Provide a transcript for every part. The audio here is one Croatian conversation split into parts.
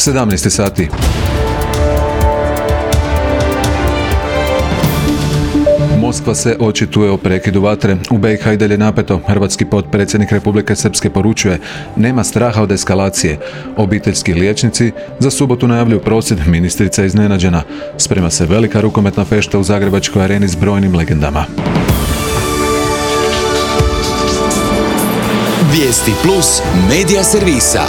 17 sati. Moskva se očituje o prekidu vatre. U BiH i dalje napeto. Hrvatski potpredsjednik Republike Srpske poručuje: nema straha od eskalacije. Obiteljski liječnici za subotu najavljuju prosvjed, ministrica je iznenađena. Sprema se velika rukometna fešta u Zagrebačkoj areni s brojnim legendama. Vijesti plus medija servisa.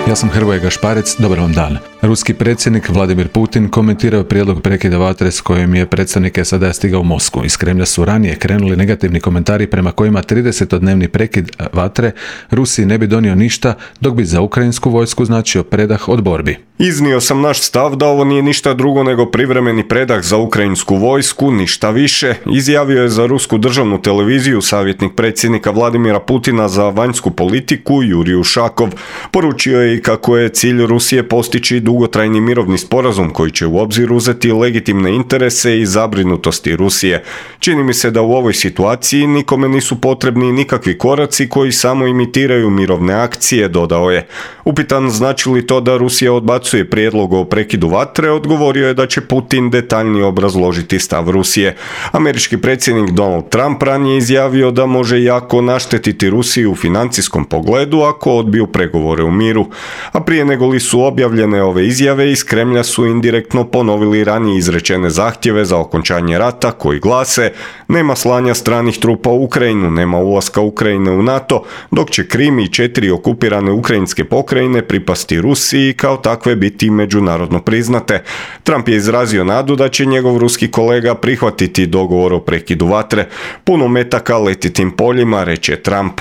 Ja sam Hrvoje Gašparec, dobar vam dan. Ruski predsjednik Vladimir Putin komentirao je prijedlog prekida vatre s kojim je predstavnik SAD-a stigao u Moskvu. Iz Kremlja su ranije krenuli negativni komentari prema kojima 30-dnevni prekid vatre Rusiji ne bi donio ništa, dok bi za ukrajinsku vojsku značio predah od borbi. Iznio sam naš stav da ovo nije ništa drugo nego privremeni predah za ukrajinsku vojsku, ništa više, izjavio je za rusku državnu televiziju savjetnik predsjednika Vladimira Putina za vanjsku politiku Jurij Ušakov. Poručio je i kako je cilj Rusije postići dugotrajni mirovni sporazum koji će u obzir uzeti legitimne interese i zabrinutosti Rusije. Čini mi se da u ovoj situaciji nikome nisu potrebni nikakvi koraci koji samo imitiraju mirovne akcije, dodao je. Upitan znači li to da Rusija odbacuje prijedlog o prekidu vatre, odgovorio je da će Putin detaljnije obrazložiti stav Rusije. Američki predsjednik Donald Trump ranije izjavio da može jako naštetiti Rusiji u financijskom pogledu ako odbiju pregovore u miru. A prije nego li su objavljene ove izjave, iz Kremlja su indirektno ponovili ranije izrečene zahtjeve za okončanje rata koji glase: nema slanja stranih trupa u Ukrajinu, nema ulaska Ukrajine u NATO, dok će Krim i 4 okupirane ukrajinske pokrajine pripasti Rusiji i kao takve biti međunarodno priznate. Trump je izrazio nadu da će njegov ruski kolega prihvatiti dogovor o prekidu vatre. Puno metaka leti tim poljima, reče Trump.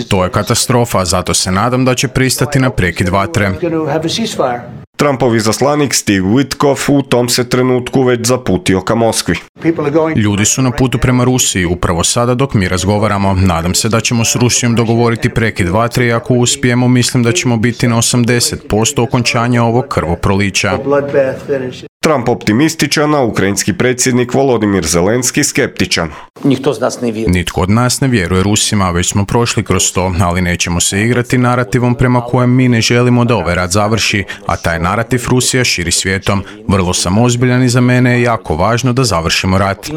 To je katastrofa, zato se nadam da će pristati na prekid vatre. Trumpov izaslanik Steve Witkoff u tom se trenutku već zaputio ka Moskvi. Ljudi su na putu prema Rusiji upravo sada dok mi razgovaramo. Nadam se da ćemo s Rusijom dogovoriti prekid vatre i ako uspijemo, mislim da ćemo biti na 80% okončanja ovog krvoprolića. Trump optimističan, a ukrajinski predsjednik Volodimir Zelenski skeptičan. Nitko od nas ne vjeruje Rusima, već smo prošli kroz to, ali nećemo se igrati narativom prema kojem mi ne želimo da ovaj rat završi, a taj narativ Rusija širi svijetom. Vrlo sam ozbiljan i za mene je jako važno da završimo rat.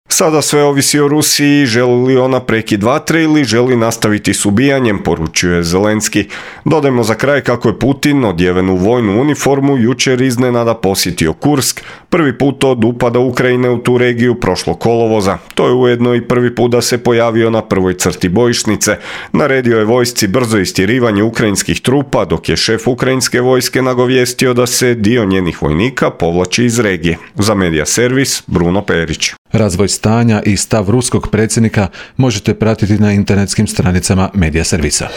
Sada sve ovisi o Rusiji, želi li ona prekid vatre ili želi nastaviti s ubijanjem, poručuje Zelenski. Dodajmo za kraj kako je Putin, odjeven u vojnu uniformu, jučer iznenada posjetio Kursk, prvi put od upada Ukrajine u tu regiju prošlog kolovoza. To je ujedno i prvi put da se pojavio na prvoj crti bojišnice. Naredio je vojsci brzo istjerivanje ukrajinskih trupa, dok je šef ukrajinske vojske nagovijestio da se dio njenih vojnika povlači iz regije. Za Medija servis, Bruno Perić. Razvoj stanja i stav ruskog predsjednika možete pratiti na internetskim stranicama Medija servisa.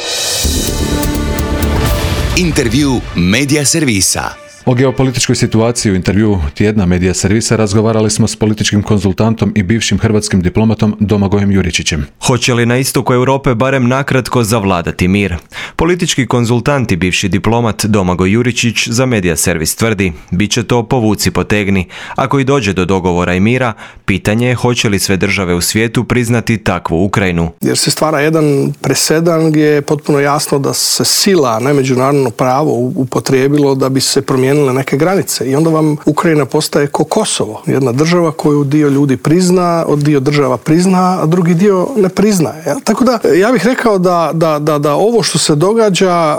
Intervju Medija servisa. O geopolitičkoj situaciji u intervju tjedna Medija servisa razgovarali smo s političkim konzultantom i bivšim hrvatskim diplomatom Domagojem Juričićem. Hoće li na istoku Europe barem nakratko zavladati mir? Politički konzultant i bivši diplomat Domagoj Juričić za Medija servis tvrdi: bit će to povuci potegni. Ako i dođe do dogovora i mira, pitanje je hoće li sve države u svijetu priznati takvu Ukrajinu. Jer se stvara jedan presedan gdje je potpuno jasno da se sila, a ne međunarodno pravo upotrijebilo da bi se promijenile neke granice i onda vam Ukrajina postaje ko Kosovo, jedna država koju dio ljudi prizna, dio država prizna, a drugi dio ne priznaje. Ja? Tako da ja bih rekao da ovo što se događa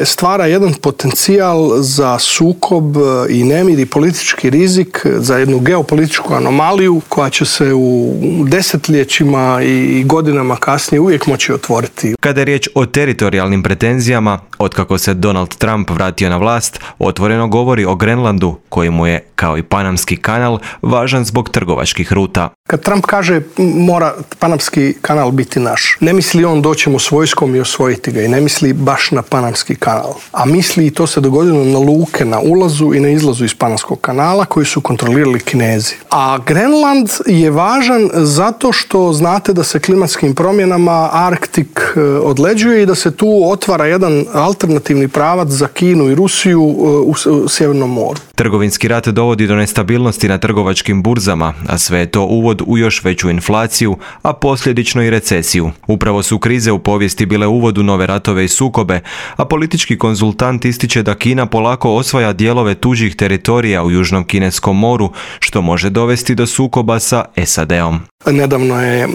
stvara jedan potencijal za sukob i nemir i politički rizik, za jednu geopolitičku anomaliju koja će se u desetljećima i godinama kasnije uvijek moći otvoriti. Kada je riječ o teritorijalnim pretenzijama, otkako se Donald Trump vratio na vlast, otvoreno govori o Grenlandu, koji mu je, kao i Panamski kanal, važan zbog trgovačkih ruta. Kad Trump kaže mora Panamski kanal biti naš, ne misli on doćemo s vojskom i osvojiti ga i ne misli baš na Panamski kanal, a misli i to se dogodilo na luke na ulazu i na izlazu iz Panamskog kanala koji su kontrolirali Kinezi. A Grenland je važan zato što znate da se klimatskim promjenama Arktik odleđuje i da se tu otvara jedan alternativni pravac za Kinu i Rusiju u Sjevernom moru. Trgovinski rat dovodi do nestabilnosti na trgovačkim burzama, a sve je to uvod uvod u još veću inflaciju, a posljedično i recesiju. Upravo su krize u povijesti bile uvod u nove ratove i sukobe, a politički konzultant ističe da Kina polako osvaja dijelove tuđih teritorija u Južnom Kineskom moru, što može dovesti do sukoba sa SAD-om. Nedavno je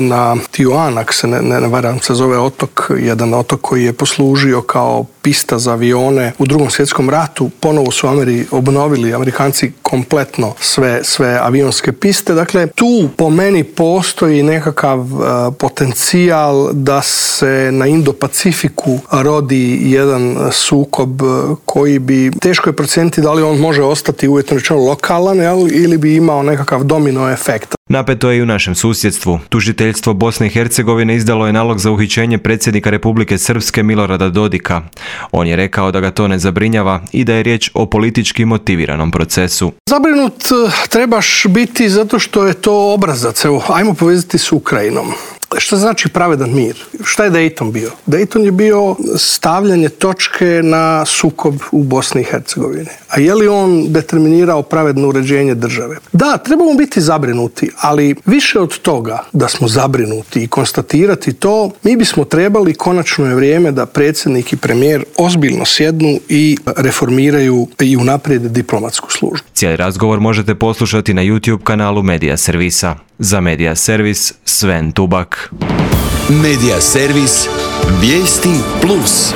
na Tijuan, ako se ne varam, se zove otok, jedan otok koji je poslužio kao pista za avione u Drugom svjetskom ratu. Ponovo su obnovili Amerikanci kompletno sve avionske piste. Dakle, tu po meni postoji nekakav potencijal da se na Indo-Pacifiku rodi jedan sukob koji bi, teško je procijeniti da li on može ostati uvjetno rečeno lokalan, ili bi imao nekakav domino efekt. Napeto je i u našem susjedstvu. Tužiteljstvo Bosne i Hercegovine izdalo je nalog za uhićenje predsjednika Republike Srpske Milorada Dodika. On je rekao da ga to ne zabrinjava i da je riječ o politički motiviranom procesu. Zabrinut trebaš biti zato što je to obrazac. Evo, ajmo povezati s Ukrajinom. Šta znači pravedan mir? Šta je Dayton bio? Dayton je bio stavljanje točke na sukob u Bosni i Hercegovini. A je li on determinirao pravedno uređenje države? Da, trebamo biti zabrinuti, ali više od toga da smo zabrinuti i konstatirati to, mi bismo trebali, konačno je vrijeme da predsjednik i premijer ozbiljno sjednu i reformiraju i unaprijede diplomatsku službu. Cijeli razgovor možete poslušati na YouTube kanalu Medija Servisa. Za Medija Servis, Sven Tubak. Medija Servis, vijesti plus.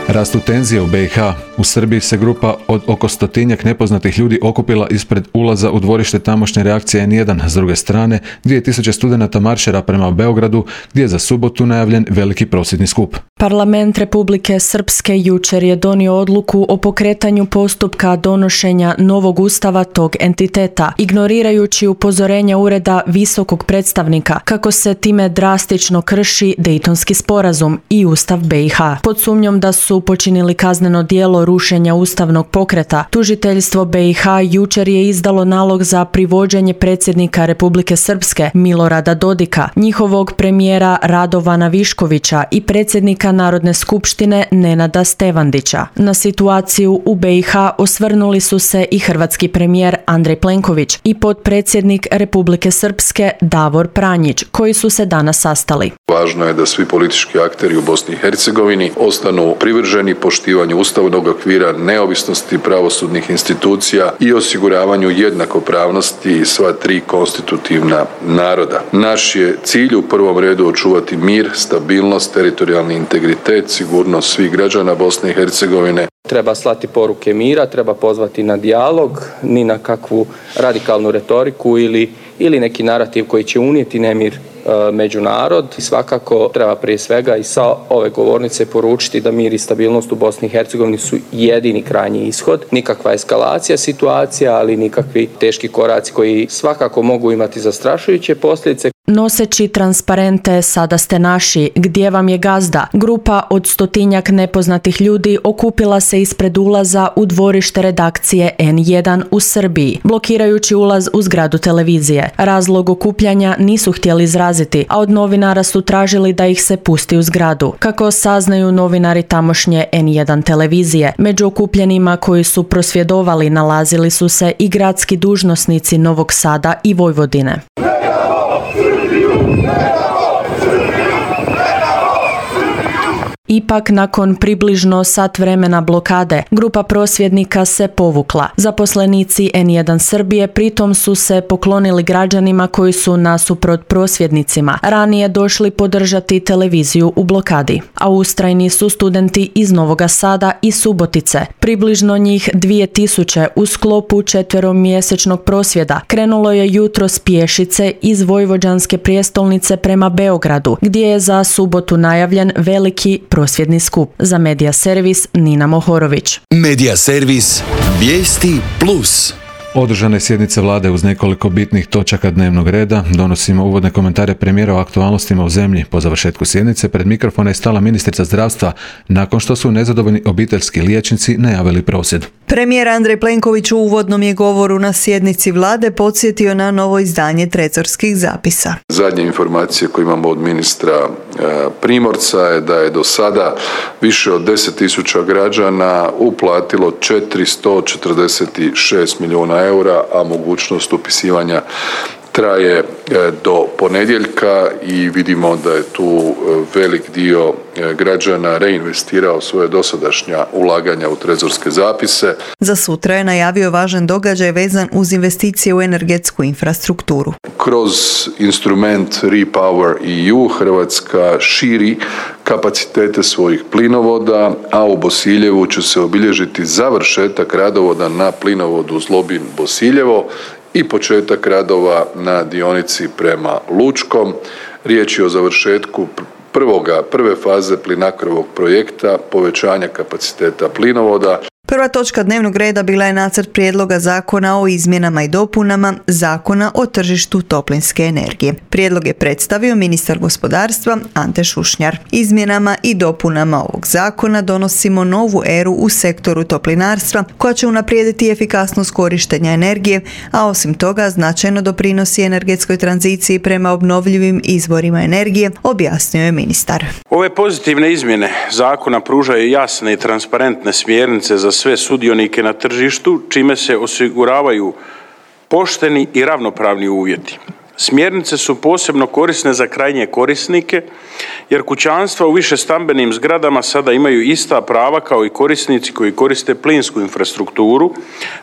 Rastu tenzije u BiH. U Srbiji se grupa od oko 100-tinjak nepoznatih ljudi okupila ispred ulaza u dvorište tamošnje reakcije N1. S druge strane, 2000 studenata maršera prema Beogradu, gdje je za subotu najavljen veliki prosvjedni skup. Parlament Republike Srpske jučer je donio odluku o pokretanju postupka donošenja novog ustava tog entiteta, ignorirajući upozorenja Ureda visokog predstavnika kako se time drastično krši Dejtonski sporazum i Ustav BiH. Pod sumnjom da su počinili kazneno djelo rušenja ustavnog pokreta, tužiteljstvo BiH jučer je izdalo nalog za privođenje predsjednika Republike Srpske Milorada Dodika, njihovog premijera Radovana Viškovića i predsjednika Narodne skupštine Nenada Stevandića. Na situaciju u BiH osvrnuli su se i hrvatski premijer Andrej Plenković i potpredsjednik Republike Srpske Davor Pranjić, koji su se danas sastali. Važno je da svi politički akteri u Bosni i Hercegovini ostanu privrženi poštivanju ustavnog okvira, neovisnosti pravosudnih institucija i osiguravanju jednakopravnosti sva tri konstitutivna naroda. Naš je cilj u prvom redu očuvati mir, stabilnost, teritorijalni integritet, sigurnost svih građana Bosne i Hercegovine. Treba slati poruke mira, treba pozvati na dijalog, ni na kakvu radikalnu retoriku ili neki narativ koji će unijeti nemir među narod. I svakako treba prije svega i sa ove govornice poručiti da mir i stabilnost u Bosni i Hercegovini su jedini krajnji ishod. Nikakva eskalacija situacija, ali nikakvi teški koraci koji svakako mogu imati zastrašujuće posljedice. Noseći transparente "Sada ste naši, gdje vam je gazda?", grupa od 100-tinjak nepoznatih ljudi okupila se ispred ulaza u dvorište redakcije N1 u Srbiji, blokirajući ulaz u zgradu televizije. Razlog okupljanja nisu htjeli izraziti, a od novinara su tražili da ih se pusti u zgradu. Kako saznaju novinari tamošnje N1 televizije, među okupljenima koji su prosvjedovali nalazili su se i gradski dužnosnici Novog Sada i Vojvodine. Ipak, nakon približno sat vremena blokade, grupa prosvjednika se povukla. Zaposlenici N1 Srbije pritom su se poklonili građanima koji su nasuprot prosvjednicima ranije došli podržati televiziju u blokadi. A ustrajni su studenti iz Novoga Sada i Subotice. Približno njih 2000 u sklopu 4-mjesečnog prosvjeda krenulo je jutros pješice iz vojvođanske prijestolnice prema Beogradu, gdje je za subotu najavljen veliki prosvjedni skup. Za Medija Servis, Nina Mohorović. Medija Servis, vijesti plus. Održane sjednice vlade uz nekoliko bitnih točaka dnevnog reda. Donosimo uvodne komentare premijera o aktualnostima u zemlji. Po završetku sjednice pred mikrofona je stala ministrica zdravstva nakon što su nezadovoljni obiteljski liječnici najavili prosvjed. Premijer Andrej Plenković u uvodnom je govoru na sjednici vlade podsjetio na novo izdanje trezorskih zapisa. Zadnje informacije koje imamo od ministra Primorca je da je do sada više od 10.000 građana uplatilo 446 milijuna eura, a mogućnost upisivanja traje do ponedjeljka i vidimo da je tu velik dio građana reinvestirao svoje dosadašnja ulaganja u trezorske zapise. Za sutra je najavio važan događaj vezan uz investicije u energetsku infrastrukturu. Kroz instrument Repower EU Hrvatska širi kapacitete svojih plinovoda, a u Bosiljevu će se obilježiti završetak radovoda na plinovodu Zlobin-Bosiljevo i početak radova na dionici prema Lučkom. Riječ je o završetku prve faze Plinacrovog projekta povećanja kapaciteta plinovoda. Prva točka dnevnog reda bila je nacrt prijedloga zakona o izmjenama i dopunama Zakona o tržištu toplinske energije. Prijedlog je predstavio ministar gospodarstva Ante Šušnjar. Izmjenama i dopunama ovog zakona donosimo novu eru u sektoru toplinarstva koja će unaprijediti efikasnost korištenja energije, a osim toga značajno doprinosi energetskoj tranziciji prema obnovljivim izvorima energije, objasnio je ministar. Ove pozitivne izmjene zakona pružaju jasne i transparentne smjernice za sve sudionike na tržištu, čime se osiguravaju pošteni i ravnopravni uvjeti. Smjernice su posebno korisne za krajnje korisnike, jer kućanstva u višestambenim zgradama sada imaju ista prava kao i korisnici koji koriste plinsku infrastrukturu,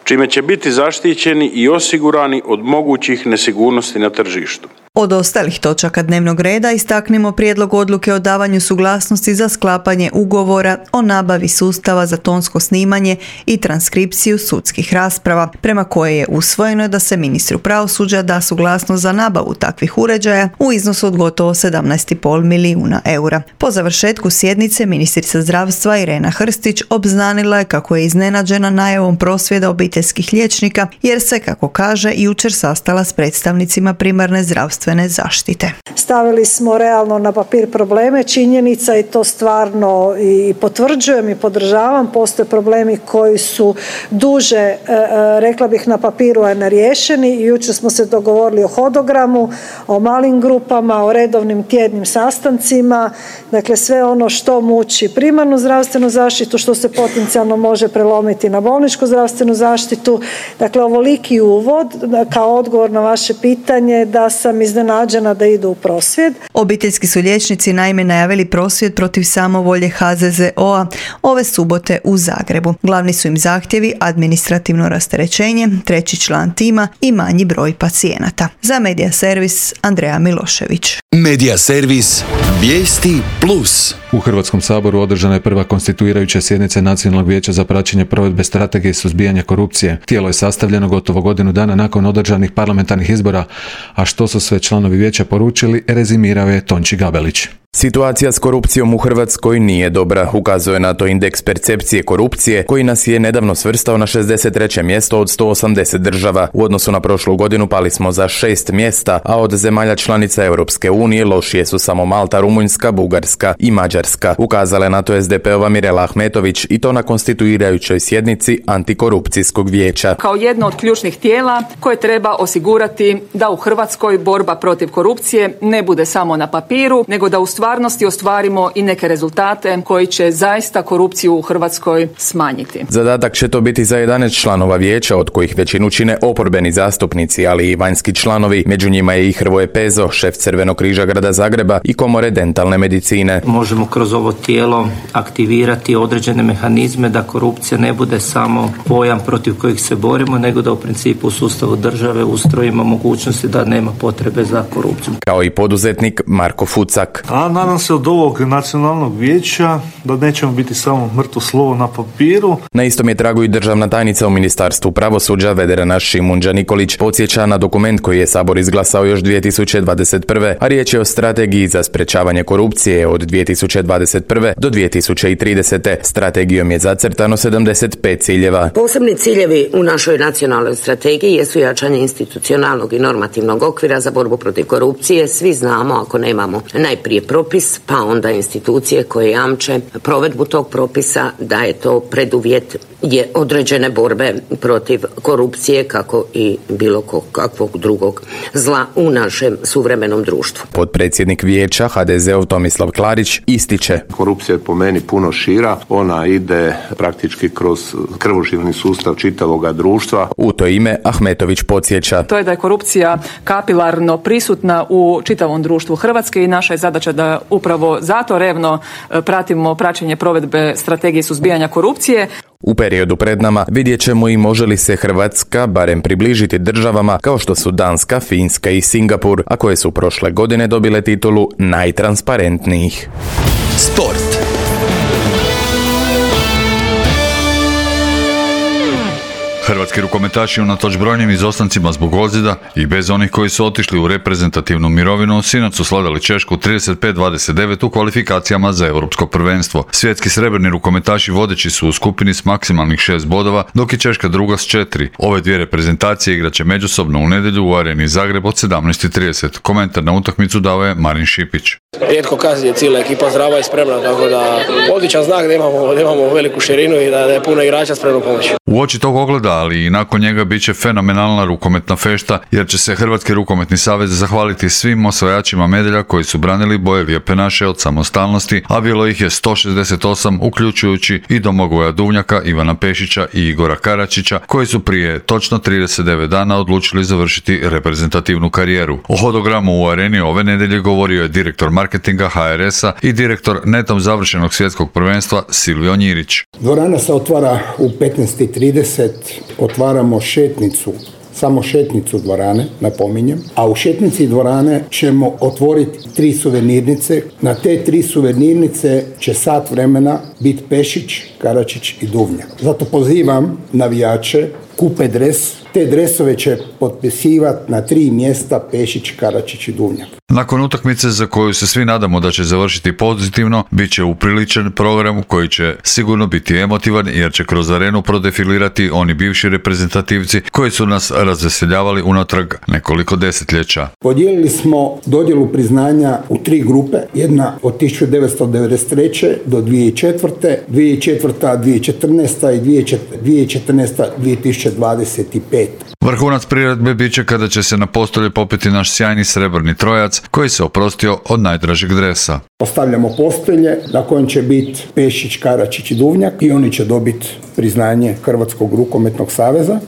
čime će biti zaštićeni i osigurani od mogućih nesigurnosti na tržištu. Od ostalih točaka dnevnog reda istaknimo prijedlog odluke o davanju suglasnosti za sklapanje ugovora o nabavi sustava za tonsko snimanje i transkripciju sudskih rasprava, prema koje je usvojeno da se ministru pravosuđa da suglasnost za nabavu takvih uređaja u iznosu od gotovo 17,5 milijuna eura. Po završetku sjednice ministrica zdravstva Irena Hrstić obznanila je kako je iznenađena najavom prosvjeda obiteljskih liječnika jer se, kako kaže, jučer sastala s predstavnicima primarne zdravstvene zaštite. Stavili smo realno na papir probleme, činjenica i to stvarno i potvrđujem i podržavam. Postoje problemi koji su duže, rekla bih, na papiru a neriješeni i jučer smo se dogovorili o hodogramu, o malim grupama, o redovnim tjednim sastancima, dakle sve ono što muči primarnu zdravstvenu zaštitu, što se potencijalno može prelomiti na bolničku zdravstvenu zaštitu. Dakle, ovoliki uvod kao odgovor na vaše pitanje da sam iznenađena da idu u prosvjed. Obiteljski su liječnici naime najavili prosvjed protiv samovolje HZZO-a ove subote u Zagrebu. Glavni su im zahtjevi administrativno rasterećenje, treći član tima i manji broj pacijenata. Za Medija servis Andreja Milošević. Medija servis Vijesti Plus. U Hrvatskom saboru održana je prva konstituirajuća sjednica Nacionalnog vijeća za praćenje provedbe strategije suzbijanja korupcije. Tijelo je sastavljeno gotovo godinu dana nakon održanih parlamentarnih izbora, a što su sve članovi vijeća poručili, rezimirao je Tonči Gabelić. Situacija s korupcijom u Hrvatskoj nije dobra, ukazuje na to indeks percepcije korupcije koji nas je nedavno svrstao na 63. mjesto od 180 država. U odnosu na prošlu godinu pali smo za 6 mjesta, a od zemalja članica Europske unije lošije su samo Malta, Rumunjska, Bugarska i Mađarska. Ukazala je na to SDP-ova Mirela Ahmetović i to na konstituirajućoj sjednici Antikorupcijskog vijeća. Kao jedno od ključnih tijela koje treba osigurati da u Hrvatskoj borba protiv korupcije ne bude samo na papiru, nego da u stvarnosti ostvarimo i neke rezultate koji će zaista korupciju u Hrvatskoj smanjiti. Zadatak će to biti za 11 članova vijeća, od kojih većinu čine oporbeni zastupnici, ali i vanjski članovi. Među njima je i Hrvoje Pezo, šef Crvenog križa grada Zagreba i Komore dentalne medicine. Možemo kroz ovo tijelo aktivirati određene mehanizme da korupcija ne bude samo pojam protiv kojih se borimo, nego da u principu u sustavu države ustrojimo mogućnosti da nema potrebe za korupcijom. Kao i poduzetnik Marko Fucak. nadam se od ovog nacionalnog vijeća da nećemo biti samo mrtvo slovo na papiru. Na istom je tragu i državna tajnica u Ministarstvu pravosuđa Vedrana Šimunđa Nikolić podsjeća na dokument koji je Sabor izglasao još 2021. a riječ je o strategiji za sprečavanje korupcije od 2021. do 2030. Strategijom je zacrtano 75 ciljeva. Posebni ciljevi u našoj nacionalnoj strategiji jesu jačanje institucionalnog i normativnog okvira za borbu protiv korupcije. Svi znamo, ako nemamo najprije propis, pa onda institucije koje jamče provedbu tog propisa, da je to preduvjet je određene borbe protiv korupcije, kako i bilo kakvog drugog zla u našem suvremenom društvu. Potpredsjednik vijeća HDZ-ov Tomislav Klarić ističe: korupcija je po meni puno šira, ona ide praktički kroz krvožilni sustav čitavoga društva. U to ime Ahmetović podsjeća: to je da je korupcija kapilarno prisutna u čitavom društvu Hrvatske i naša je zadaća da upravo zato revno pratimo praćenje provedbe strategije suzbijanja korupcije. U periodu pred nama vidjet ćemo i može li se Hrvatska barem približiti državama kao što su Danska, Finska i Singapur, a koje su prošle godine dobile titulu najtransparentnijih. Sport. Hrvatski rukometaši unatoč brojnim izostancima zbog ozljeda i bez onih koji su otišli u reprezentativnu mirovinu, sinoć su slavili Češku 35-29 u kvalifikacijama za Europsko prvenstvo. Svjetski srebrni rukometaši vodeći su u skupini s maksimalnih 6 bodova, dok je Češka druga s 4. Ove dvije reprezentacije igraće međusobno u nedjelju u Areni Zagreb od 17:30. Komentar na utakmicu dao je Marin Šipić. Rijetko kad je cijela ekipa zdrava i spremna, tako da odličan znak da imamo veliku širinu i da je puno igrača spremno pomoći. U oči tog ogleda, ali i nakon njega bit će fenomenalna rukometna fešta, jer će se Hrvatski rukometni savez zahvaliti svim osvajačima medalja koji su branili boje lijepe naše od samostalnosti, a bilo ih je 168, uključujući i Domagoja Duvnjaka, Ivana Pešića i Igora Karačića, koji su prije točno 39 dana odlučili završiti reprezentativnu karijeru. O hodogramu u areni ove nedjelje govorio je direktor marketinga HRS-a i direktor netom završenog svjetskog prvenstva Silvio Njirić. Dvorana se otvara u 15:30, otvaramo šetnicu, samo šetnicu dvorane, napominjem, a u šetnici dvorane ćemo otvoriti 3 suvenirnice. Na te 3 suvenirnice će sat vremena biti Pešić, Karačić i Duvnjak. Zato pozivam navijače, kupe dres, te dresove će potpisivati na 3 mjesta Pešić, Karačić i Duvnjak. Nakon utakmice za koju se svi nadamo da će završiti pozitivno, bit će upriličan program koji će sigurno biti emotivan jer će kroz arenu prodefilirati oni bivši reprezentativci koji su nas razveseljavali unatrag nekoliko desetljeća. Podijelili smo dodjelu priznanja u 3 grupe, jedna od 1993. do 2004., 2014. i 2014. 2025. Vrhunac priredbe bit će kada će se na postolje popeti naš sjajni srebrni trojac koji se oprostio od najdražeg dresa. Postavljamo postolje na kojem će biti Pešić, Karačić i Duvnjak i oni će dobiti priznanje Hrvatskog rukometnog saveza.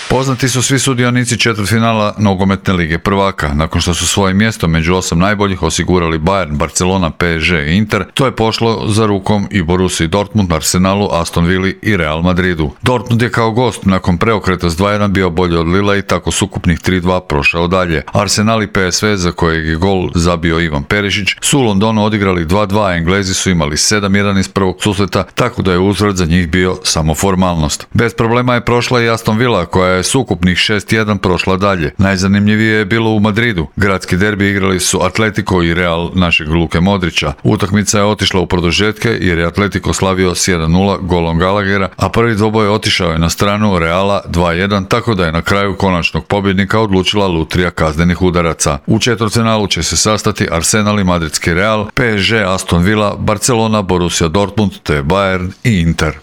Poznati su svi sudionici četvrtfinala Nogometne lige prvaka. Nakon što su svoje mjesto među 8 najboljih osigurali Bayern, Barcelona, PSG i Inter, to je pošlo za rukom i Borussiji Dortmund, Arsenalu, Aston Villi i Real Madridu. Dortmund je kao gost nakon preokreta s 2-1 bio bolji od Lila i tako s ukupnih 3-2 prošao dalje. Arsenal i PSV, za kojeg je gol zabio Ivan Perišić, su u Londonu odigrali 2-2, a Englezi su imali 7-1 iz prvog susreta, tako da je uzvrat za njih bio samo formalnost. Bez problema je prošla i Aston Villa, koja je s ukupnih 6-1 prošla dalje. Najzanimljivije je bilo u Madridu. Gradski derbi igrali su Atletico i Real našeg Luke Modrića. Utakmica je otišla u produžetke jer je Atletico slavio s 1-0 golom Gallaghera, a prvi dvoboj otišao je na stranu Reala 2-1, tako da je na kraju konačnog pobjednika odlučila lutrija kaznenih udaraca. U četvrtfinalu će se sastati Arsenal i Madridski Real, PSG, Aston Villa, Barcelona, Borussia Dortmund te Bayern i Inter.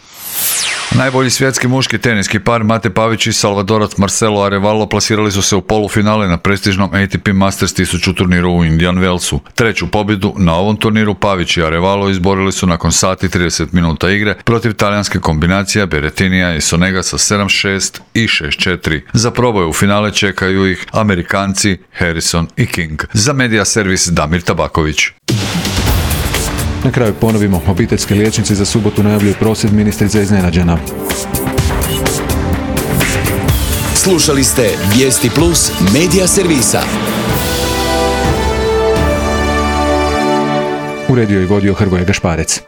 Najbolji svjetski muški teniski par Mate Pavić i Salvadorac Marcelo Arevalo plasirali su se u polufinale na prestižnom ATP Masters 1000 turniru u Indian Wellsu. Treću pobjedu na ovom turniru Pavić i Arevalo izborili su nakon sati 30 minuta igre protiv talijanske kombinacije Berrettinija i Sonega sa 7-6 i 6-4. Za proboj u finale čekaju ih Amerikanci Harrison i King. Za Media Servis Damir Tabaković. Na kraju ponovimo, obiteljski liječnici za subotu najavljuju prosvjed, ministrica iznenađena. Slušali ste Vijesti Plus Media Servisa. Uredio i vodio Hrvoje Gašparec.